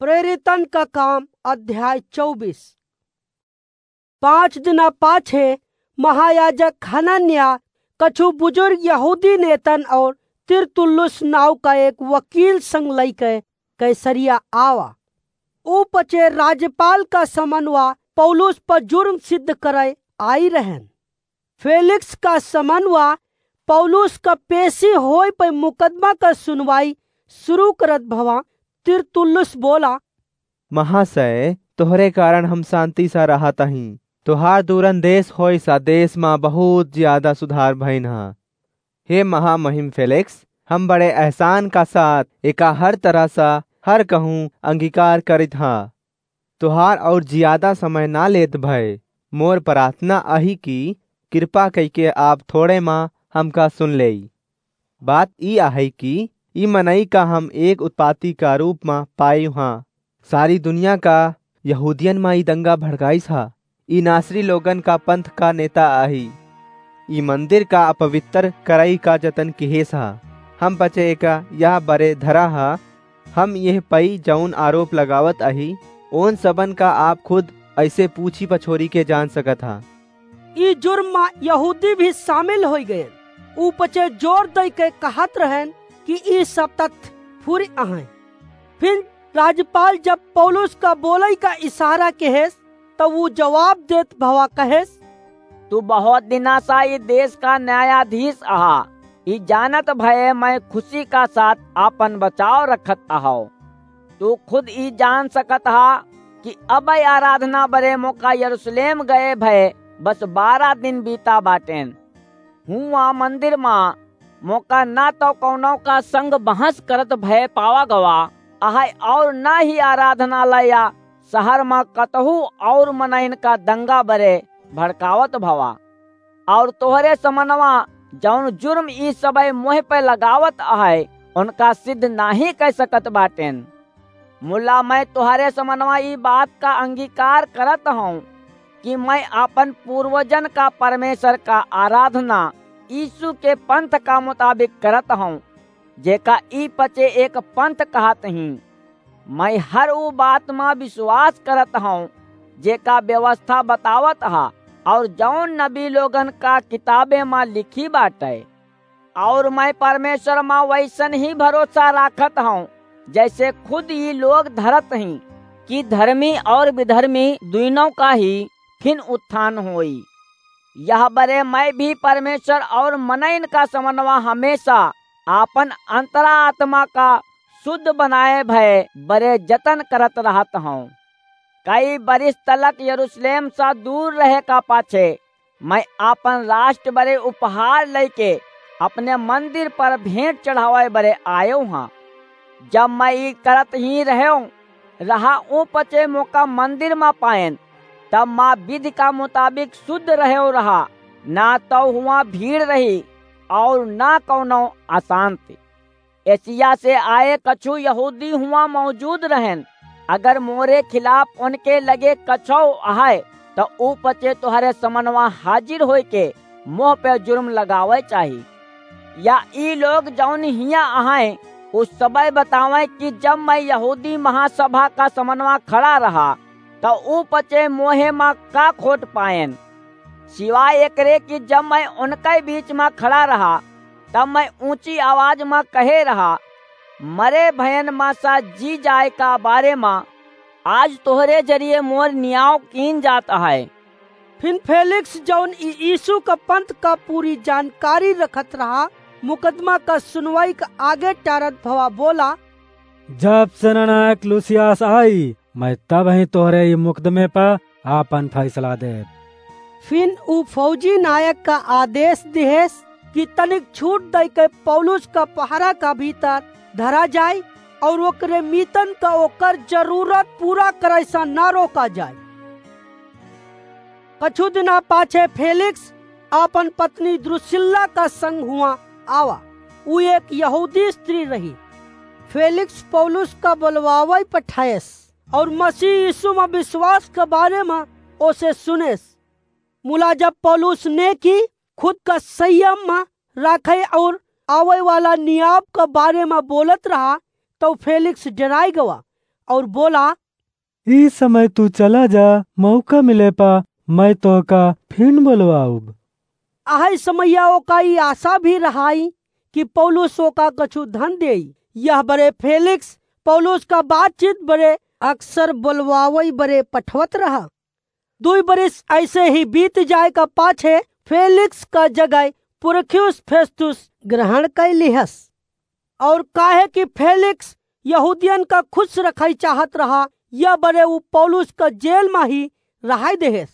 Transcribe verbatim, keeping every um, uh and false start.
प्रेरितन का काम, अध्याय चउबीस। पाँच दिना पाछे महायाजक हनन्याह कछु बुजुर्ग यहूदी नेतन और तिरतुल्लुस नाव का एक वकील संग लइके कैसरिया आवा। ऊ पचे राज्यपाल का समनवा पौलुस पर जुर्म सिद्ध करे आई रहन। फेलिक्स का समनवा पौलुस का पेशी होए पे मुकदमा का सुनवाई शुरू करत भवा तिरतुल्लुस बोला, महाशय, तोहरे कारण हम शांति सा रहत हई। तोहार दूरन देश होए सा देश मा बहुत ज्यादा सुधार भइन ह। हे महामहिम फेलिक्स, हम बड़े एहसान का साथ एका हर तरह सा हर कहूँ अंगीकार करित हा। तोहार और ज्यादा समय ना लेत भय, मोर प्रार्थना अही कि कृपा कइके आप थोड़े मा हमका सुन लेई। बात ई आहे कि ई मनई का हम एक उत्पाती का रूप मा पायु हाँ। सारी दुनिया का यहूदियन मा ई दंगा भड़काइस हा। ई नासरी लोगन का पंथ का नेता आही। ई मंदिर का अपवित्र करई का जतन किहेस हा। हम पचे एका यह बरे धरा हा। हम यह पई जौन आरोप लगावत आही, ओन सबन का आप खुद ऐसे पूछी पछोरी के जान सकत हा। ई जुर्म मा यहूदी भी शामिल होई गयन। ऊ पचे जोर दई के कहत रहन कि ई सब तथ्य फुरि अहैं। फिर राज्यपाल जब पौलुस का बोलई का इशारा केहेस, तब ऊ जवाब देत भवा कहेस, तू बहुत दिना सा ई देश का न्यायाधीश अहा। ई जानत भये मैं खुशी का साथ आपन बचाव रखत अहौ। तू खुद ई जान सकत हा कि अबै आराधना बरे मोका यरूशलेम गए भये बस बारह दिन बीता बाटेन। हुआ मंदिर मा मोका ना तो कौनो का संग बहस करत भये पावा गवा अहै और ना ही आराधनालय या शहर मा कतहू और मनइन का दंगा बरे भड़कावत भवा। और तोहरे समनवा जौन जुर्म ई सबय मोह पे लगावत अहै, उनका सिद्ध नाही कह सकत बाटेन। मुला मैं तोहरे समनवा ई बात का अंगीकार करत हौं कि मैं आपन पूर्वजन का परमेश्वर का आराधना यीशु के पंथ का मुताबिक करत हौं, जेका ई पचे एक पंथ कहत ही। मैं हर ऊ बात मा विश्वास करत हौं, जेका व्यवस्था बतावत हा, और जौन नबी लोगन का किताबे मा लिखी बाटे। और मैं परमेश्वर मा वैसन ही भरोसा राखत हौं, जैसे खुद ई लोग धरत ही, कि धर्मी और विधर्मी दुइनों का ही फिन उत्थान होई। यह बरे मैं भी परमेश्वर और मनइन का समनवा हमेशा आपन अंतरात्मा का शुद्ध बनाए भये बरे जतन करत रहत हौं। कई बरिस तलक यरूशलेम सा दूर रहे का पाछे मैं आपन राष्ट्र बरे उपहार लइके अपने मंदिर पर भेंट चढ़ावै बरे आयो हाँ। जब मैं ई करत ही रह्यो रहा, ऊ पचे मोका मंदिर मा पाएन, तब मा विधि का मुताबिक शुद्ध रह्यो रहा, ना तो हुआ भीड़ रही और ना कौनो अशांति। एशिया से आए कछु यहूदी हुआ मौजूद रहेन। अगर मोरे खिलाफ उनके लगे कछौ अहै, त ऊ पचे तोहरे समनवा हाजिर होइके मोह पे जुर्म लगावै चाही। या ई लोग जौन हियाँ अहैं, ऊ सबय बतावैं कि जब मैं यहूदी महासभा का समनवा खड़ा रहा, त ऊ पचे मोहे मा का खोट पाएन। सिवाय एकरे कि जब मैं उनके बीच मा खड़ा रहा, तब मैं ऊँची आवाज मा कहे रहा, मरे भयन मा सा जी जाए का बारे मा आज तोहरे जरिए मोर नियाव कीन जात अहै। फिन फेलिक्स, जौन ई यीशु का पंथ का पूरी जानकारी रखत रहा, मुकदमा का सुनवाई का आगे टारत भवा बोला, जब सेनानायक लूसियास आई, मैं तब ही तोहरे ई मुकदमे पर आपन फैसला देब। फिन ऊ फौजी नायक का आदेश दिहेस कि तनिक छूट दइके पौलुस का पहरा का भीतर धरा जाए और ओकरे मीतन का ओकर जरूरत पूरा करे सा ना रोका जाए। कछु दिना पाछे फेलिक्स आपन पत्नी द्रुसिल्ला का संग हुआ आवा। ऊ एक यहूदी स्त्री रही। फेलिक्स पौलुस का बोलवावै पठायस और मसीह यीशु मा विश्वास के बारे मा ओसे सुनेस। मुला जब पौलुस ने की खुद का संयम मा राखे और आवै वाला नियाव के बारे मा बोलत रहा, तौ फेलिक्स डराय गवा। और बोला, "ई समय तू चला जा, मौका मिले पा मैं तोहका फिन बोलवाउब।" अहै समैया ओका ई आशा भी रहाई कि पौलुस ओका कछु धन देई। यह बरे फेलिक्स पौलुस का बातचीत बरे अक्सर बोलवावई बरे पठवत रहा। दुई बरिस ऐसे ही बीत जाए का पाछे फेलिक्स का जगह पुरख्युस फेस्तुस ग्रहण कइ लिहस। और काहे कि फेलिक्स यहूदियन का खुश रखई चाहत रहा, यह बरे उ पौलुस का जेल मा ही रहाई देहेस।